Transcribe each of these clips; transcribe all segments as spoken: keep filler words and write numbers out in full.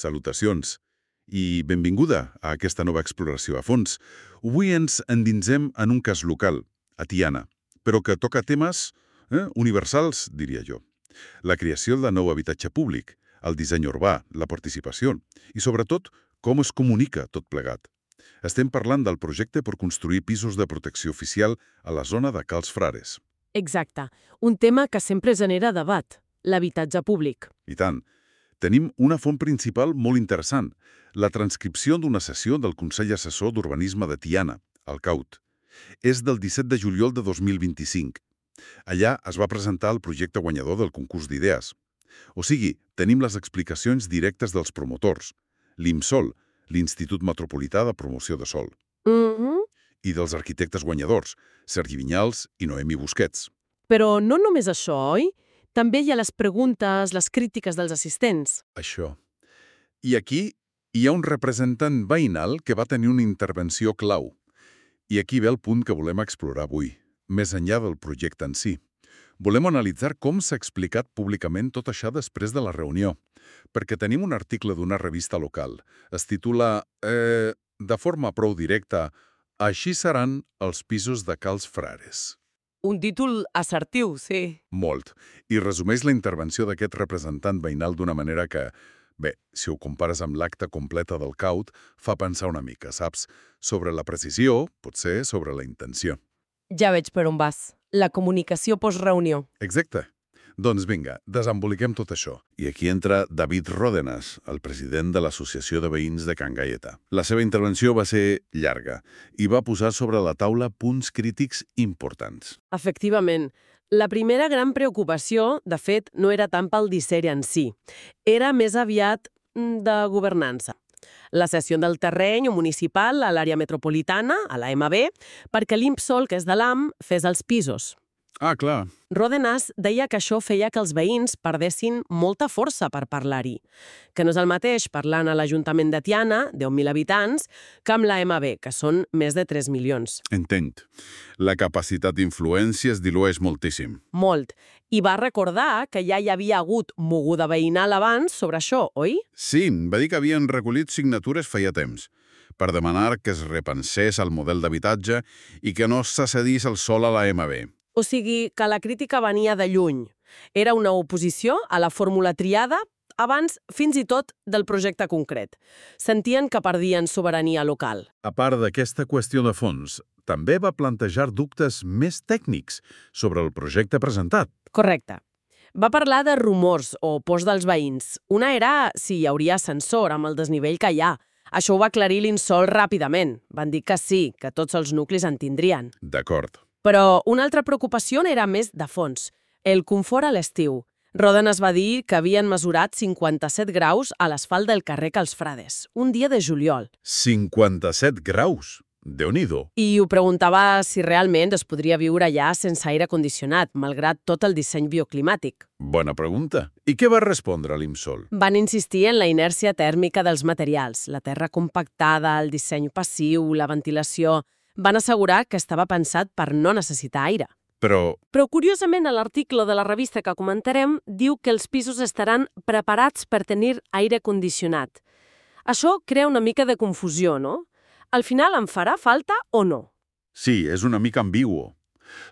salutacions i benvinguda a aquesta nova exploració a fons. Avui ens endinsem en un cas local, a Tiana, però que toca temes eh, universals, diria jo. La creació de nou habitatge públic, el disseny urbà, la participació i, sobretot, com es comunica tot plegat. Estem parlant del projecte per construir pisos de protecció oficial a la zona de Cals Frares. Exacte. Un tema que sempre genera debat, l'habitatge públic. I tant. Tenim una font principal molt interessant, la transcripció d'una sessió del Consell Assessor d'Urbanisme de Tiana, el C A U T. És del disset de juliol de dos mil vint-i-cinc. Allà es va presentar el projecte guanyador del concurs d'idees. O sigui, tenim les explicacions directes dels promotors, l'IMSOL, l'Institut Metropolità de Promoció de Sòl, Mm-hmm. i dels arquitectes guanyadors, Sergi Vinyals i Noemi Busquets. Però no només això, oi? També hi ha les preguntes, les crítiques dels assistents. Això. I aquí hi ha un representant veïnal que va tenir una intervenció clau. I aquí ve el punt que volem explorar avui, més enllà del projecte en si. Volem analitzar com s'ha explicat públicament tot això després de la reunió, perquè tenim un article d'una revista local. Es titula, eh, de forma prou directa, «Així seran els pisos de Cals Frares». Un títol assertiu, sí. Molt. I resumeix la intervenció d'aquest representant veïnal d'una manera que, bé, si ho compares amb l'acte completa del C A U T, fa pensar una mica, saps? Sobre la precisió, potser sobre la intenció. Ja veig per on vas. La comunicació post-reunió. Exacte. Doncs vinga, desemboliquem tot això. I aquí entra David Ródenas, el president de l'Associació de Veïns de Can Gaieta. La seva intervenció va ser llarga i va posar sobre la taula punts crítics importants. Efectivament. La primera gran preocupació, de fet, no era tant pel disseny en si. Era més aviat mm, de governança. La cessió del terreny municipal a l'àrea metropolitana, a la M B, perquè l'IMSOL, que és de l'A M, fes els pisos. Ah, clar. Ródenas deia que això feia que els veïns perdessin molta força per parlar-hi, que no és el mateix parlant a l'Ajuntament de Tiana, deu mil habitants, que amb la M B, que són més de tres milions. Entenc. La capacitat d'influència es dilueix moltíssim. Molt. I va recordar que ja hi havia hagut moguda veïnal abans sobre això, oi? Sí, va dir que havien recollit signatures feia temps per demanar que es repensés el model d'habitatge i que no se cedís el sòl a la M B. O sigui, que la crítica venia de lluny. Era una oposició a la fórmula triada abans, fins i tot, del projecte concret. Sentien que perdien sobirania local. A part d'aquesta qüestió de fons, també va plantejar dubtes més tècnics sobre el projecte presentat. Correcte. Va parlar de rumors o pors dels veïns. Una era si hi hauria ascensor amb el desnivell que hi ha. Això ho va aclarir l'IMSOL ràpidament. Van dir que sí, que tots els nuclis en tindrien. D'acord. Però una altra preocupació era més de fons, el confort a l'estiu. Ródenas va dir que havien mesurat cinquanta-set graus a l'asfalt del carrer Cals Frares, un dia de juliol. cinquanta-set graus? Déu-n'hi-do. I ho preguntava si realment es podria viure allà sense aire condicionat, malgrat tot el disseny bioclimàtic. Bona pregunta. I què va respondre l'IMSOL? Van insistir en la inèrcia tèrmica dels materials, la terra compactada, el disseny passiu, la ventilació. Van assegurar que estava pensat per no necessitar aire. Però... Però, curiosament, a l'article de la revista que comentarem diu que els pisos estaran preparats per tenir aire condicionat. Això crea una mica de confusió, no? Al final em farà falta o no? Sí, és una mica ambiguo.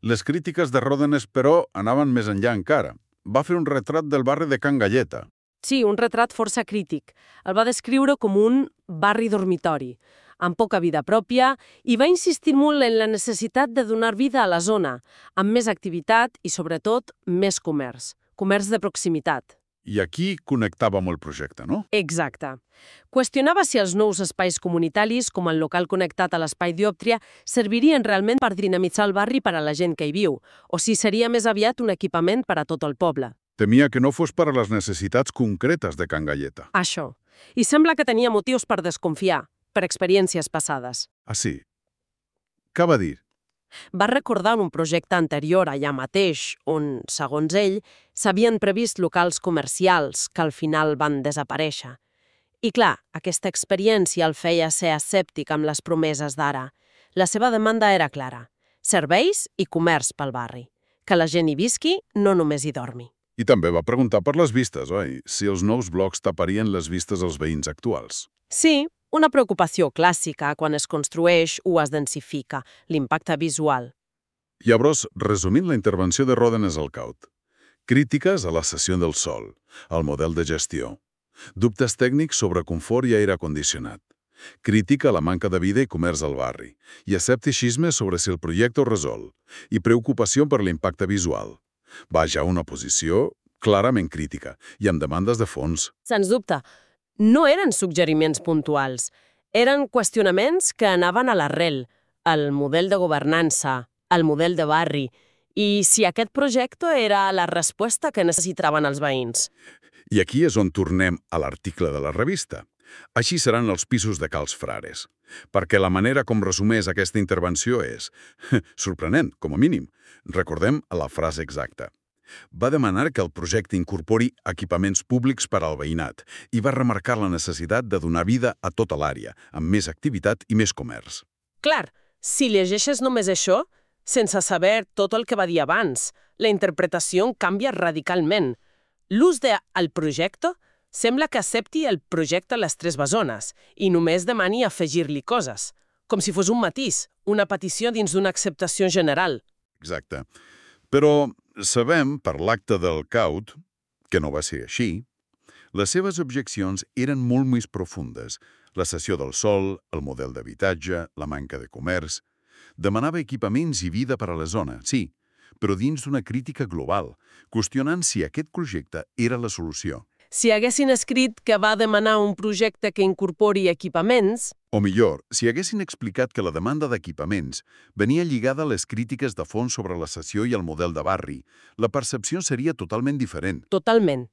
Les crítiques de Ródenas, però, anaven més enllà encara. Va fer un retrat del barri de Can Gaieta. Sí, un retrat força crític. El va descriure com un barri dormitori, amb poca vida pròpia, i va insistir molt en la necessitat de donar vida a la zona, amb més activitat i, sobretot, més comerç. Comerç de proximitat. I aquí connectava amb el projecte, no? Exacte. Qüestionava si els nous espais comunitaris, com el local connectat a l'espai Diòptria, servirien realment per dinamitzar el barri per a la gent que hi viu, o si seria més aviat un equipament per a tot el poble. Temia que no fos per a les necessitats concretes de Can Gaieta. Això. I sembla que tenia motius per desconfiar, per experiències passades. Ah, sí? Què va dir? Va recordar un projecte anterior allà mateix, on, segons ell, s'havien previst locals comercials que al final van desaparèixer. I clar, aquesta experiència el feia ser escèptic amb les promeses d'ara. La seva demanda era clara: serveis i comerç pel barri. Que la gent hi visqui, no només hi dormi. I també va preguntar per les vistes, oi? Si els nous blocs taparien les vistes als veïns actuals. Sí, una preocupació clàssica quan es construeix o es densifica, l'impacte visual. Llavors, resumint la intervenció de Ròdenes al Caut. Crítiques a la cessió del sòl, al model de gestió. Dubtes tècnics sobre confort i aire condicionat. Crítica a la manca de vida i comerç al barri. I escepticisme sobre si el projecte ho resol. I preocupació per l'impacte visual. Vaja, una posició clarament crítica i amb demandes de fons. Sens dubte, no eren suggeriments puntuals. Eren qüestionaments que anaven a l'arrel, al model de governança, al model de barri, i si aquest projecte era la resposta que necessitaven els veïns. I aquí és on tornem a l'article de la revista. Així seran els pisos de Cals Frares. Perquè la manera com resumeix aquesta intervenció és sorprenent, com a mínim. Recordem la frase exacta. Va demanar que el projecte incorpori equipaments públics per al veïnat i va remarcar la necessitat de donar vida a tota l'àrea, amb més activitat i més comerç. Clar, si llegeixes només això, sense saber tot el que va dir abans, la interpretació canvia radicalment. L'ús de «el projecte» sembla que accepti el projecte a les tres bessones i només demani afegir-li coses, com si fos un matís, una petició dins d'una acceptació general. Exacte. Però sabem, per l'acte del Caut, que no va ser així, les seves objeccions eren molt més profundes. La cessió del sòl, el model d'habitatge, la manca de comerç. Demanava equipaments i vida per a la zona, sí, però dins d'una crítica global, qüestionant si aquest projecte era la solució. Si haguessin escrit que va demanar un projecte que incorpori equipaments... O millor, si haguessin explicat que la demanda d'equipaments venia lligada a les crítiques de fons sobre la cessió i el model de barri, la percepció seria totalment diferent. Totalment.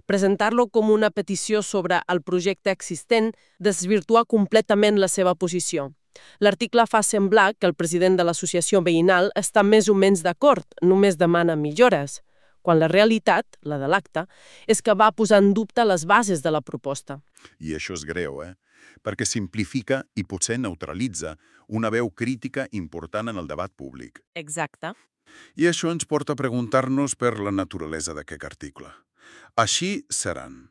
Presentar-lo com una petició sobre el projecte existent desvirtua completament la seva posició. L'article fa semblar que el president de l'associació veïnal està més o menys d'acord, només demana millores, quan la realitat, la de l'acte, és que va posar en dubte les bases de la proposta. I això és greu, eh? Perquè simplifica i potser neutralitza una veu crítica important en el debat públic. Exacte. I això ens porta a preguntar-nos per la naturalesa d'aquest article. Així seran.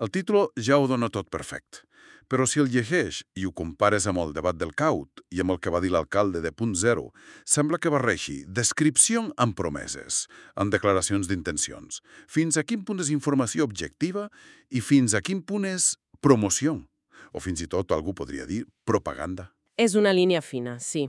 El títol ja ho dona tot perfecte. Però si el llegeix i ho compares amb el debat del Caut i amb el que va dir l'alcalde de Punt Zero, sembla que barreixi descripció amb promeses, amb declaracions d'intencions. Fins a quin punt és informació objectiva i fins a quin punt és promoció? O fins i tot algú podria dir propaganda. És una línia fina, sí.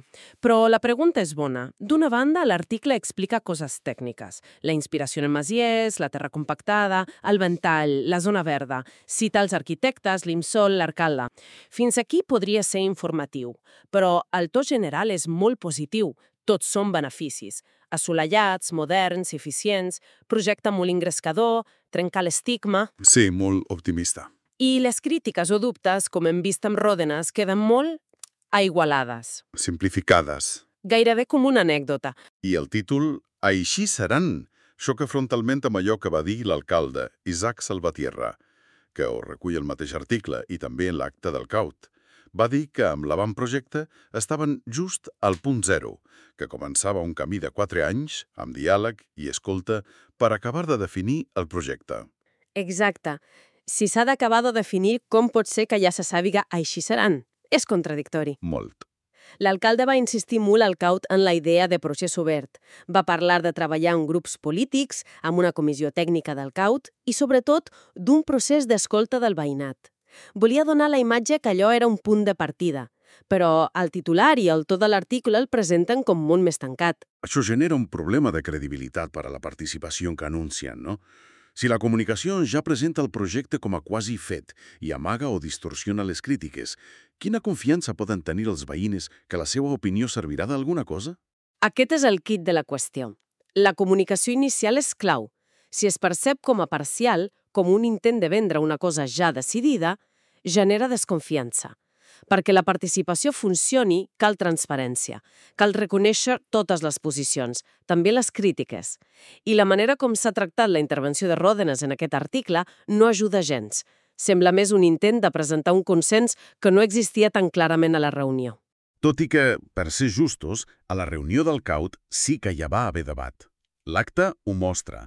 Però la pregunta és bona. D'una banda, l'article explica coses tècniques. La inspiració en masies, la terra compactada, el ventall, la zona verda. Cita els arquitectes, l'IMSOL, l'alcalde. Fins aquí podria ser informatiu. Però el to general és molt positiu. Tots són beneficis. Assolellats, moderns, eficients, projecte molt ingrescador, trencar l'estigma... Sí, molt optimista. I les crítiques o dubtes, com hem vist amb Ròdenes, queden molt aigualades. Simplificades. Gairebé com una anècdota. I el títol, Així seran, xoca frontalment amb allò que va dir l'alcalde, Isaac Salvatierra, que ho recull el mateix article i també en l'acte del Caut. Va dir que amb l'avantprojecte estaven just al punt zero, que començava un camí de quatre anys, amb diàleg i escolta, per acabar de definir el projecte. Exacte. Si s'ha d'acabar de definir, com pot ser que ja se sàpiga així seran? És contradictori. Molt. L'alcalde va insistir molt al Caut en la idea de procés obert. Va parlar de treballar en grups polítics, amb una comissió tècnica del Caut i, sobretot, d'un procés d'escolta del veïnat. Volia donar la imatge que allò era un punt de partida, però el titular i el to de l'article el presenten com molt més tancat. Això genera un problema de credibilitat per a la participació que anuncien, no? Si la comunicació ja presenta el projecte com a quasi fet i amaga o distorsiona les crítiques, quina confiança poden tenir els veïns que la seva opinió servirà d'alguna cosa? Aquest és el quid de la qüestió. La comunicació inicial és clau. Si es percep com a parcial, com un intent de vendre una cosa ja decidida, genera desconfiança. Perquè la participació funcioni, cal transparència. Cal reconèixer totes les posicions, també les crítiques. I la manera com s'ha tractat la intervenció de Ròdenes en aquest article no ajuda gens. Sembla més un intent de presentar un consens que no existia tan clarament a la reunió. Tot i que, per ser justos, a la reunió del Caut sí que hi va haver debat. L'acte ho mostra.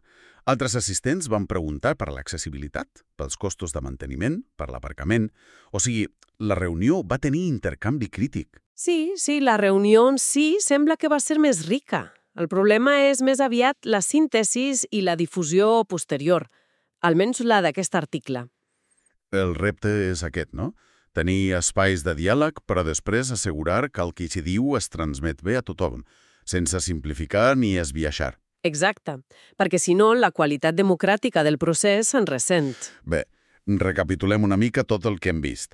Altres assistents van preguntar per l'accessibilitat, pels costos de manteniment, per l'aparcament. O sigui, la reunió va tenir intercanvi crític. Sí, sí, la reunió en si sembla que va ser més rica. El problema és més aviat la síntesis i la difusió posterior, almenys la d'aquest article. El repte és aquest, no? Tenir espais de diàleg, però després assegurar que el que s'hi diu es transmet bé a tothom, sense simplificar ni esbiaixar. Exacte, perquè si no, la qualitat democràtica del procés se'n ressent. Bé, recapitulem una mica tot el que hem vist.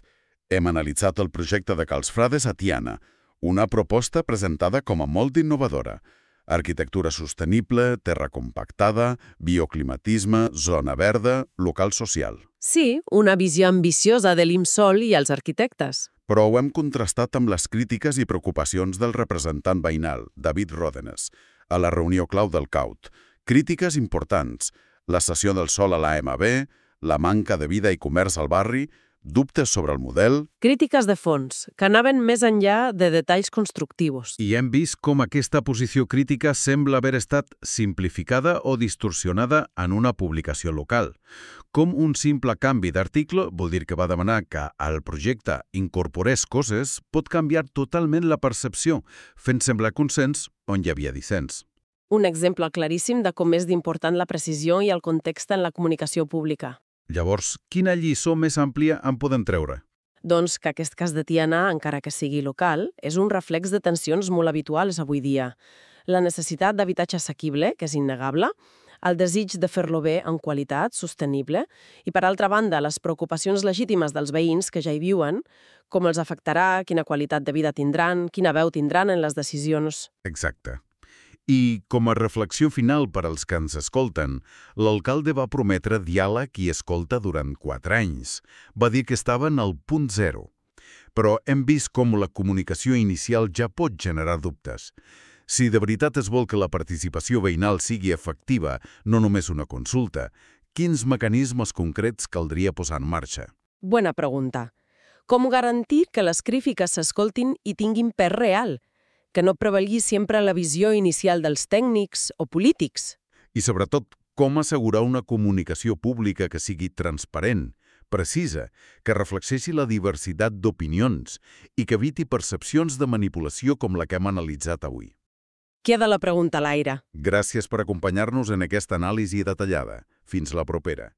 Hem analitzat el projecte de Cals Frades a Tiana, una proposta presentada com a molt innovadora. Arquitectura sostenible, terra compactada, bioclimatisme, zona verda, local social. Sí, una visió ambiciosa de l'IMSOL i els arquitectes. Però ho hem contrastat amb les crítiques i preocupacions del representant veïnal, David Ròdenes, a la reunió clau del C A U T. Crítiques importants, la cessió del sòl a l'A M B, la manca de vida i comerç al barri, dubtes sobre el model... Crítiques de fons, que anaven més enllà de detalls constructius. I hem vist com aquesta posició crítica sembla haver estat simplificada o distorsionada en una publicació local. Com un simple canvi d'article vol dir que va demanar que el projecte incorporés coses pot canviar totalment la percepció, fent semblar consens on hi havia dissens. Un exemple claríssim de com és d'important la precisió i el context en la comunicació pública. Llavors, quina lliçó més àmplia en podem treure? Doncs que aquest cas de Tiana, encara que sigui local, és un reflex de tensions molt habituals avui dia. La necessitat d'habitatge assequible, que és innegable, el desig de fer-lo bé en qualitat, sostenible, i per altra banda, les preocupacions legítimes dels veïns que ja hi viuen, com els afectarà, quina qualitat de vida tindran, quina veu tindran en les decisions. Exacte. I, com a reflexió final per als que ens escolten, l'alcalde va prometre diàleg i escolta durant quatre anys. Va dir que estaven al punt zero. Però hem vist com la comunicació inicial ja pot generar dubtes. Si de veritat es vol que la participació veïnal sigui efectiva, no només una consulta, quins mecanismes concrets caldria posar en marxa? Bona pregunta. Com garantir que les crítiques s'escoltin i tinguin pes real? Que no prevalgui sempre la visió inicial dels tècnics o polítics. I sobretot, com assegurar una comunicació pública que sigui transparent, precisa, que reflexeixi la diversitat d'opinions i que eviti percepcions de manipulació com la que hem analitzat avui. Queda la pregunta a l'aire. Gràcies per acompanyar-nos en aquesta anàlisi detallada. Fins la propera.